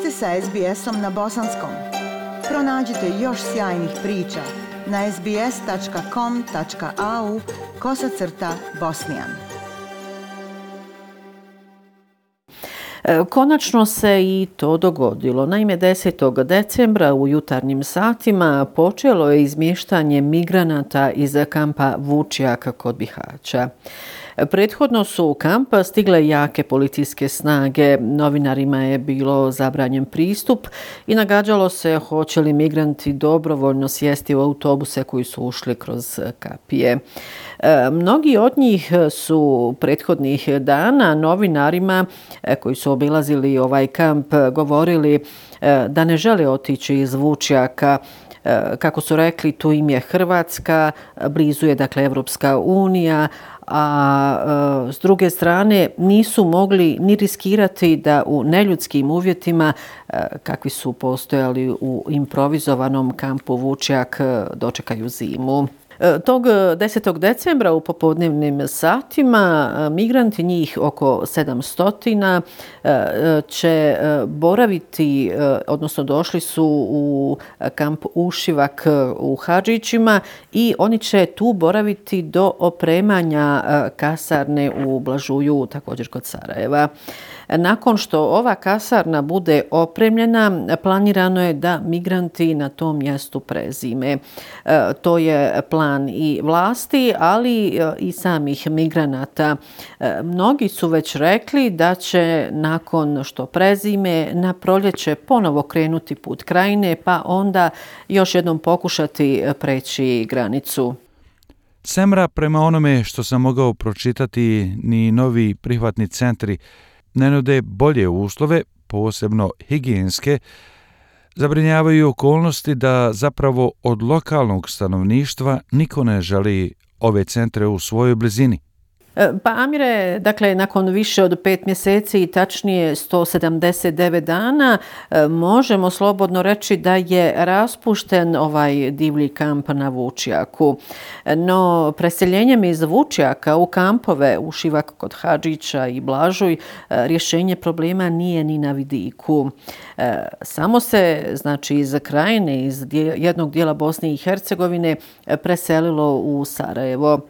ste sa SBS-om na bosanskom. Pronađite još sjajnih priča na sbs.com.au/bosnijan. Konačno se i to dogodilo. Naime, 10. decembra u jutarnjim satima počelo je izmještanje migranata iz kampa Vučjak kod Bihaća. Prethodno su u kamp stigle jake policijske snage, novinarima je bilo zabranjen pristup i nagađalo se hoće li migranti dobrovoljno sjesti u autobuse koji su ušli kroz kapije. Mnogi od njih su prethodnih dana novinarima koji su obilazili ovaj kamp govorili da ne žele otići iz Vučjaka. Kako su rekli, tu im je Hrvatska, blizu je dakle Evropska unija, a s druge strane nisu mogli ni riskirati da u neljudskim uvjetima kakvi su postojali u improvizovanom kampu Vučjak dočekaju zimu. Tog 10. decembra u popodnevnim satima migranti, njih oko 700, će boraviti, odnosno došli su u kamp Ušivak u Hadžićima i oni će tu boraviti do opremanja kasarne u Blažuju, također kod Sarajeva. Nakon što ova kasarna bude opremljena, planirano je da migranti na tom mjestu prezime. To je plan i vlasti, ali i samih migranata. Mnogi su već rekli da će nakon što prezime na proljeće ponovo krenuti put krajine, pa onda još jednom pokušati preći granicu. Semra, prema onome što sam mogao pročitati, ni novi prihvatni centri ne nude bolje uslove, posebno higijenske. Zabrinjavaju okolnosti da zapravo od lokalnog stanovništva niko ne želi ove centre u svojoj blizini. Pa Amire, dakle, nakon više od 5 mjeseci i tačnije 179 dana, možemo slobodno reći da je raspušten ovaj divlji kamp na Vučjaku. No, preseljenjem iz Vučjaka u kampove Ušivak kod Hadžića i Blažuj rješenje problema nije ni na vidiku. Samo se, znači, iz krajine, iz jednog dijela Bosne i Hercegovine preselilo u Sarajevo.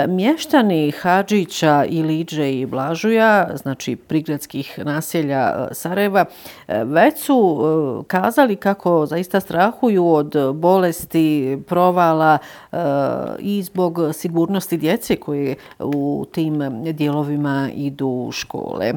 Mještani Hadžića, Iliđe i Blažuja, znači prigradskih naselja Sarajeva, već su kazali kako zaista strahuju od bolesti, provala i zbog sigurnosti djece koje u tim dijelovima idu u škole.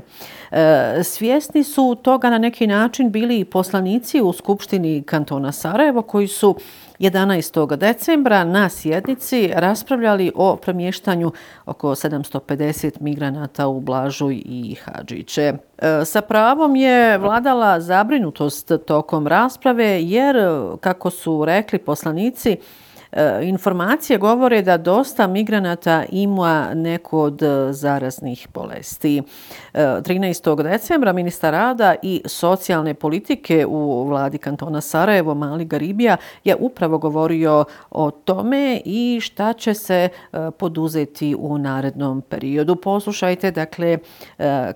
Svjesni su toga na neki način bili i poslanici u Skupštini kantona Sarajevo koji su 11. decembra na sjednici raspravljali o premještanju oko 750 migranata u Blažuj i Hadžiće. Sa pravom je vladala zabrinutost tokom rasprave jer, kako su rekli poslanici, informacije govore da dosta migranata ima neko od zaraznih bolesti. 13. decembra ministar rada i socijalne politike u vladi kantona Sarajevo, Mali Garibija, je upravo govorio o tome i šta će se poduzeti u narednom periodu. Poslušajte, dakle,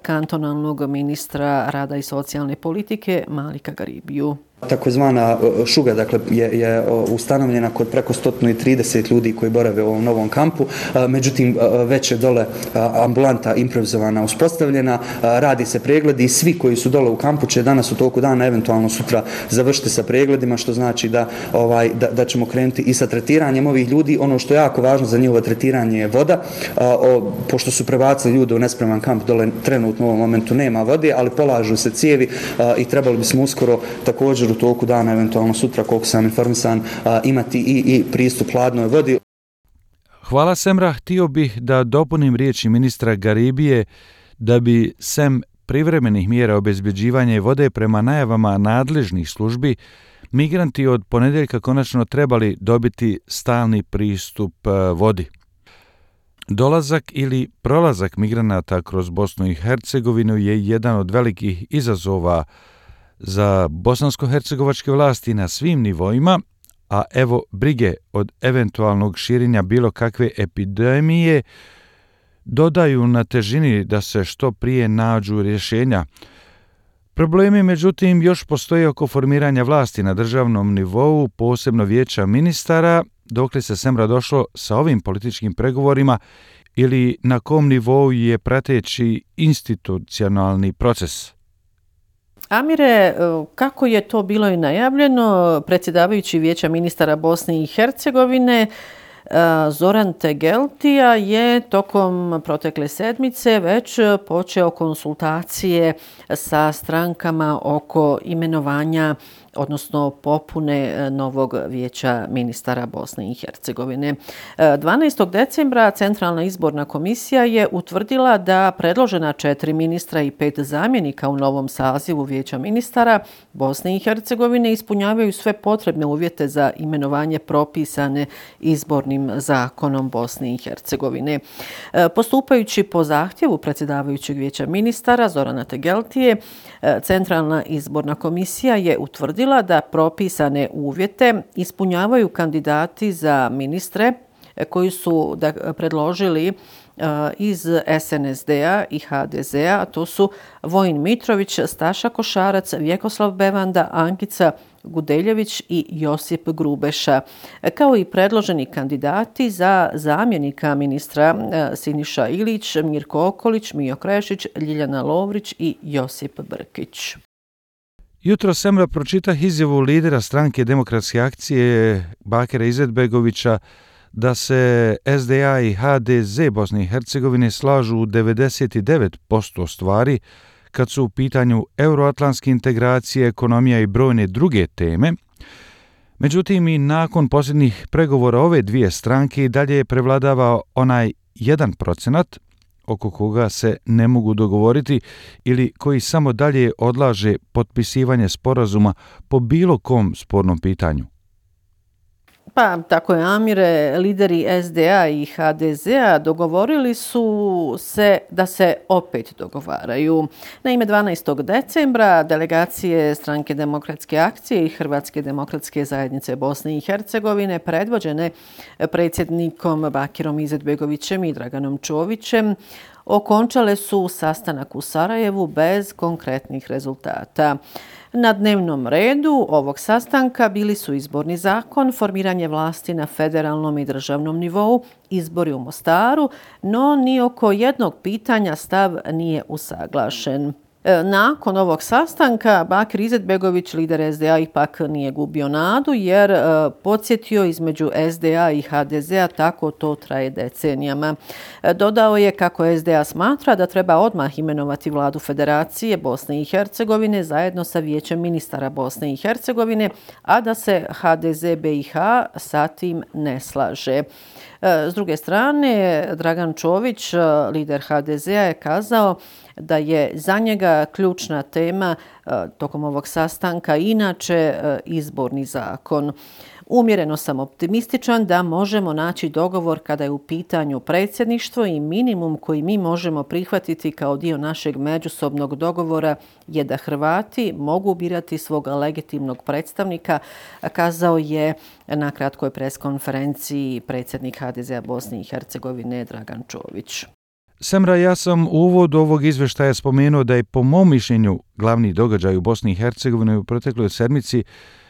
kantonalnog ministra rada i socijalne politike Malika Garibiju. Takozvana šuga, dakle, je ustanovljena kod preko 130 ljudi koji borave u ovom novom kampu. Međutim, već je dole ambulanta improvizovana uspostavljena, radi se pregledi i svi koji su dole u kampu će danas u toku dana, eventualno sutra, završiti sa pregledima, što znači da ćemo krenuti i sa tretiranjem ovih ljudi. Ono što je jako važno za njihovo tretiranje je voda. Pošto su prebacili ljude u nespreman kamp, dole trenutno u ovom momentu nema vode, ali polažu se cijevi i trebali bismo uskoro također u toku dana, eventualno sutra, koliko sam informisan, imati i pristup hladnoj vodi. Hvala, Semra. Htio bih da dopunim riječi ministra Garibije da bi sem privremenih mjera obezbeđivanja vode prema najavama nadležnih službi, migranti od ponedjeljka konačno trebali dobiti stalni pristup vodi. Dolazak ili prolazak migranata kroz Bosnu i Hercegovinu je jedan od velikih izazova za bosansko-hercegovačke vlasti na svim nivoima, a evo brige od eventualnog širenja bilo kakve epidemije dodaju na težini da se što prije nađu rješenja. Problemi, međutim, još postoje oko formiranja vlasti na državnom nivou, posebno vijeća ministara, dokle se Semra došlo sa ovim političkim pregovorima ili na kom nivou je prateći institucionalni proces? Amire, kako je to bilo i najavljeno, predsjedavajući vijeća ministara Bosne i Hercegovine Zoran Tegeltija je tokom protekle sedmice već počeo konsultacije sa strankama oko imenovanja, odnosno popune novog vijeća ministara Bosne i Hercegovine. 12. decembra Centralna izborna komisija je utvrdila da predložena 4 ministra i 5 zamjenika u novom sazivu vijeća ministara Bosne i Hercegovine ispunjavaju sve potrebne uvjete za imenovanje propisane izbornim zakonom Bosne i Hercegovine. Postupajući po zahtjevu predsjedavajućeg vijeća ministara Zorana Tegeltije, Centralna izborna komisija je utvrdila da propisane uvjete ispunjavaju kandidati za ministre koji su predložili iz SNSD-a i HDZ-a, a to su Vojin Mitrović, Staša Košarac, Vjekoslav Bevanda, Ankica Gudeljević i Josip Grubeša, kao i predloženi kandidati za zamjenika ministra Siniša Ilić, Mirko Okolić, Mijo Krešić, Ljiljana Lovrić i Josip Brkić. Jutro Semra pročitah izjavu lidera stranke Demokratske akcije Bakira Izetbegovića da se SDA i HDZ Bosne i Hercegovine slažu u 99% stvari kad su u pitanju euroatlantske integracije, ekonomija i brojne druge teme. Međutim, i nakon posljednjih pregovora ove dvije stranke i dalje prevladava onaj 1% oko koga se ne mogu dogovoriti ili koji samo dalje odlaže potpisivanje sporazuma po bilo kom spornom pitanju. Pa, tako je, Amire, lideri SDA i HDZ-a dogovorili su se da se opet dogovaraju. Naime, 12. decembra delegacije Stranke Demokratske akcije i Hrvatske demokratske zajednice Bosne i Hercegovine predvođene predsjednikom Bakirom Izetbegovićem i Draganom Čovićem okončale su sastanak u Sarajevu bez konkretnih rezultata. Na dnevnom redu ovog sastanka bili su izborni zakon, formiranje vlasti na federalnom i državnom nivou, izbori u Mostaru, no ni oko jednog pitanja stav nije usaglašen. Nakon ovog sastanka Bakir Izetbegović, lider SDA, ipak nije gubio nadu jer podsjetio između SDA i HDZ-a tako to traje decenijama. Dodao je kako SDA smatra da treba odmah imenovati vladu Federacije Bosne i Hercegovine zajedno sa vijećem ministara Bosne i Hercegovine, a da se HDZ BiH sa tim ne slaže. S druge strane, Dragan Čović, lider HDZ-a, je kazao da je za njega ključna tema tokom ovog sastanka inače izborni zakon. Umjereno sam optimističan da možemo naći dogovor kada je u pitanju predsjedništvo i minimum koji mi možemo prihvatiti kao dio našeg međusobnog dogovora je da Hrvati mogu birati svog legitimnog predstavnika, kazao je na kratkoj preskonferenciji predsjednik HDZ-a Bosne i Hercegovine Dragan Čović. Semra, ja sam u uvodu ovog izvještaja spomenuo da je po mom mišljenju glavni događaj u Bosni i Hercegovini u protekloj sedmici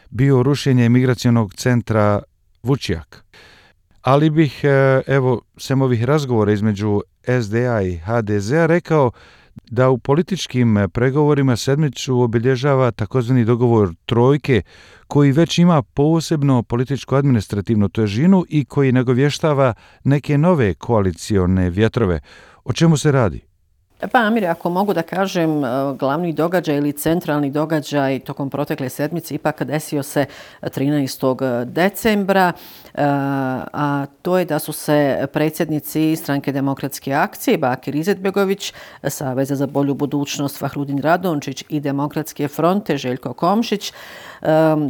bio rušenje migracionog centra Vučjak. Ali bih, sem ovih razgovora između SDA i HDZ-a rekao da u političkim pregovorima sedmicu obilježava takozvani dogovor trojke koji već ima posebno političko-administrativnu težinu i koji nagovještava neke nove koalicione vjetrove. O čemu se radi? Pa, Amir, ako mogu da kažem, glavni događaj ili centralni događaj tokom protekle sedmice ipak desio se 13. decembra, a to je da su se predsjednici Stranke Demokratske akcije Bakir Izetbegović, Saveza za bolju budućnost Fahrudin Radončić i Demokratske fronte Željko Komšić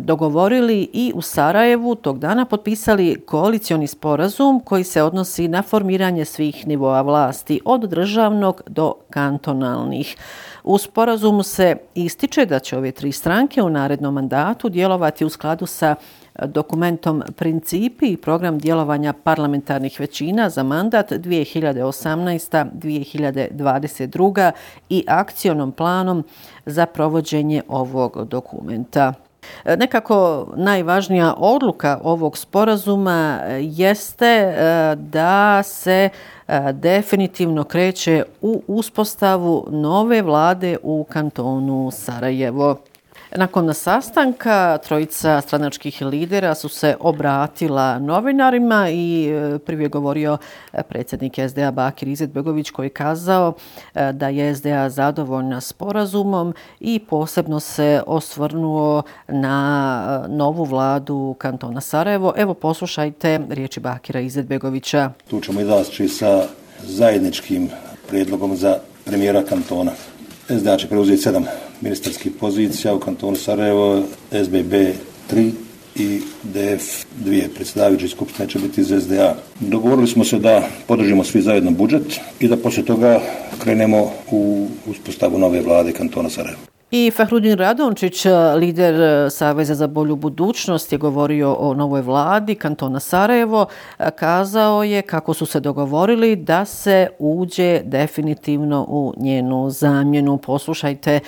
dogovorili i u Sarajevu tog dana potpisali koalicioni sporazum koji se odnosi na formiranje svih nivoa vlasti, od državnog do kantonalnih. U sporazumu se ističe da će ove tri stranke u narednom mandatu djelovati u skladu sa dokumentom Principi i program djelovanja parlamentarnih većina za mandat 2018-2022 i akcionom planom za provođenje ovog dokumenta. Nekako najvažnija odluka ovog sporazuma jeste da se definitivno kreće u uspostavu nove vlade u kantonu Sarajevo. Nakon sastanka trojica stranačkih lidera su se obratila novinarima i prvi je govorio predsjednik SDA Bakir Izetbegović koji je kazao da je SDA zadovoljna sporazumom i posebno se osvrnuo na novu vladu kantona Sarajevo. Evo poslušajte riječi Bakira Izetbegovića. Tu ćemo izaći sa zajedničkim prijedlogom za premijera kantona. SDA će preuzeti 7 ministarskih pozicija u kantonu Sarajevo, SBB 3 i DF 2. Predsjedavajući skupštine će biti iz SDA. Dogovorili smo se da podržimo svi zajedno budžet i da poslije toga krenemo u uspostavu nove vlade kantona Sarajevo. I Fahrudin Radončić, lider Saveza za bolju budućnost, je govorio o novoj vladi kantona Sarajevo. Kazao je kako su se dogovorili da se uđe definitivno u njenu zamjenu. Poslušajte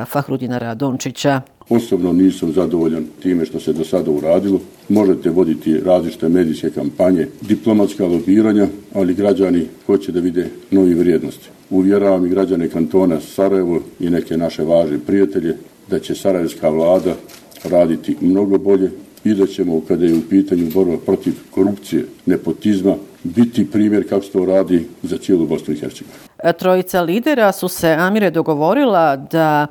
Fahrudina Radončića. Osobno nisam zadovoljan time što se do sada uradilo. Možete voditi različite medijske kampanje, diplomatska lobiranja, ali građani hoće da vide novi vrijednosti. Uvjeravam i građane kantona Sarajevo i neke naše važne prijatelje da će sarajevska vlada raditi mnogo bolje i da ćemo, kada je u pitanju borba protiv korupcije, nepotizma, biti primjer kako se to radi za cijelu Bosnu i Hercegovinu. Trojica lidera su se, Amire, dogovorila da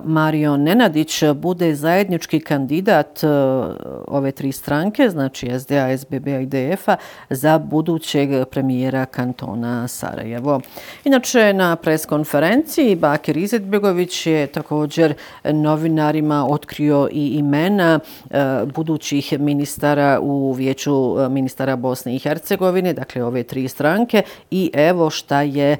Mario Nenadić bude zajednički kandidat ove tri stranke, znači SDA, SBB-a i DF-a, za budućeg premijera kantona Sarajevo. Inače, na preskonferenciji Bakir Izetbegović je također novinarima otkrio i imena budućih ministara u Vijeću ministara Bosne i Hercegovine, dakle ove tri stranke, i evo šta je,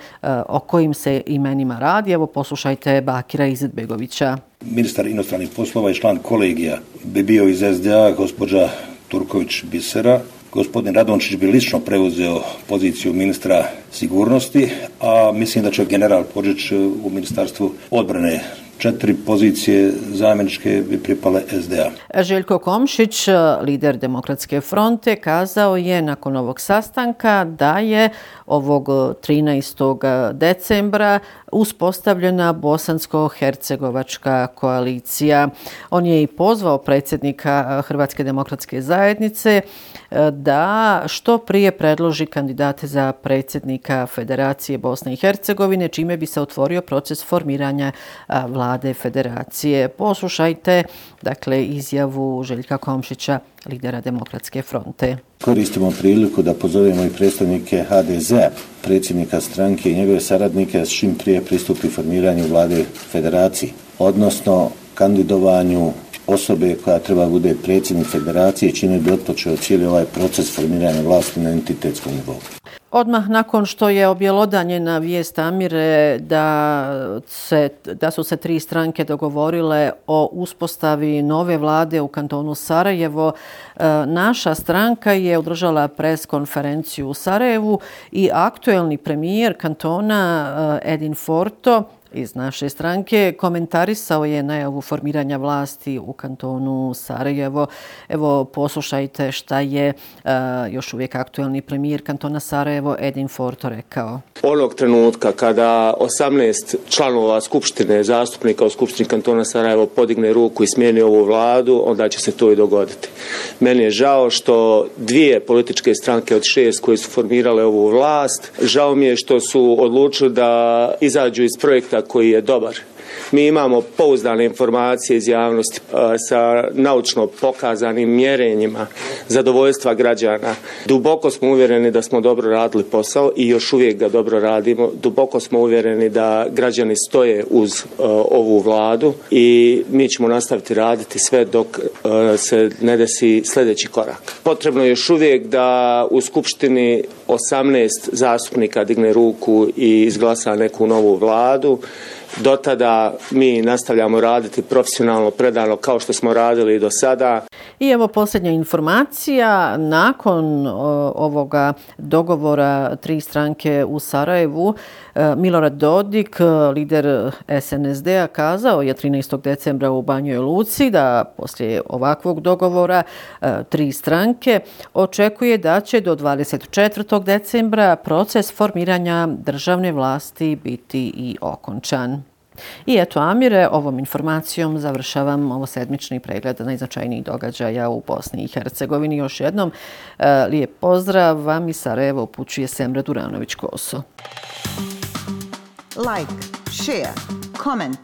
o kojim se imenima radi. Evo poslušajte Bakira Izetbegovića. Ministar inostranih poslova i član kolegija bi bio iz SDA gospođa Turković Bisera. Gospodin Radončić bi lično preuzeo poziciju ministra sigurnosti, a mislim da će general Podžić u Ministarstvu odbrane. 4 pozicije zamjeničke bi pripale SDA. Željko Komšić, lider Demokratske fronte, kazao je nakon ovog sastanka da je ovog 13. decembra uspostavljena bosansko-hercegovačka koalicija. On je i pozvao predsjednika Hrvatske demokratske zajednice da što prije predloži kandidate za predsjednika Federacije Bosne i Hercegovine, čime bi se otvorio proces formiranja vlade federacije. Poslušajte, dakle, izjavu Željka Komšića, lidera Demokratske fronte. Koristimo priliku da pozovemo i predstavnike HDZ-a, predsjednika stranke i njegove saradnike da čim prije pristupi formiranju vlade federacije, odnosno kandidovanju osobe koja treba bude predsjednik federacije, čime bi otpočeo cijeli ovaj proces formiranja vlasti na entitetskom nivou. Odmah nakon što je objelodanjena vijest, Amire, da su se tri stranke dogovorile o uspostavi nove vlade u kantonu Sarajevo, naša stranka je održala preskonferenciju u Sarajevu i aktuelni premijer kantona Edin Forto iz naše stranke komentarisao je najavu formiranja vlasti u kantonu Sarajevo. Evo poslušajte šta je još uvijek aktuelni premijer kantona Sarajevo Edin Forto rekao. Onog trenutka kada 18 članova skupštine, zastupnika u skupštini kantona Sarajevo podigne ruku i smijeni ovu vladu, onda će se to i dogoditi. Meni je žao što 2 političke stranke od 6 koje su formirale ovu vlast, žao mi je što su odlučili da izađu iz projekta koji je dobar. Mi imamo pouzdane informacije iz javnosti sa naučno pokazanim mjerenjima zadovoljstva građana. Duboko smo uvjereni da smo dobro radili posao i još uvijek ga dobro radimo. Duboko smo uvjereni da građani stoje uz ovu vladu i mi ćemo nastaviti raditi sve dok se ne desi sljedeći korak. Potrebno je još uvijek da u skupštini 18 zastupnika digne ruku i izglasa neku novu vladu. Do tada mi nastavljamo raditi profesionalno, predano kao što smo radili i do sada. I evo posljednja informacija. Nakon ovoga dogovora 3 stranke u Sarajevu, Milorad Dodik, lider SNSD-a, kazao je 13. decembra u Banjoj Luci da poslije ovakvog dogovora 3 stranke očekuje da će do 24. decembra proces formiranja državne vlasti biti i okončan. I eto, Amire, ovom informacijom završavam ovo sedmični pregled najznačajnijih događaja u Bosni i Hercegovini. Još jednom lijep pozdrav vam iz Sarajeva upućuje Semra Duranović-Koso. Like, share, comment.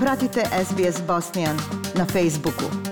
Pratite SBS Bosnian na Facebooku.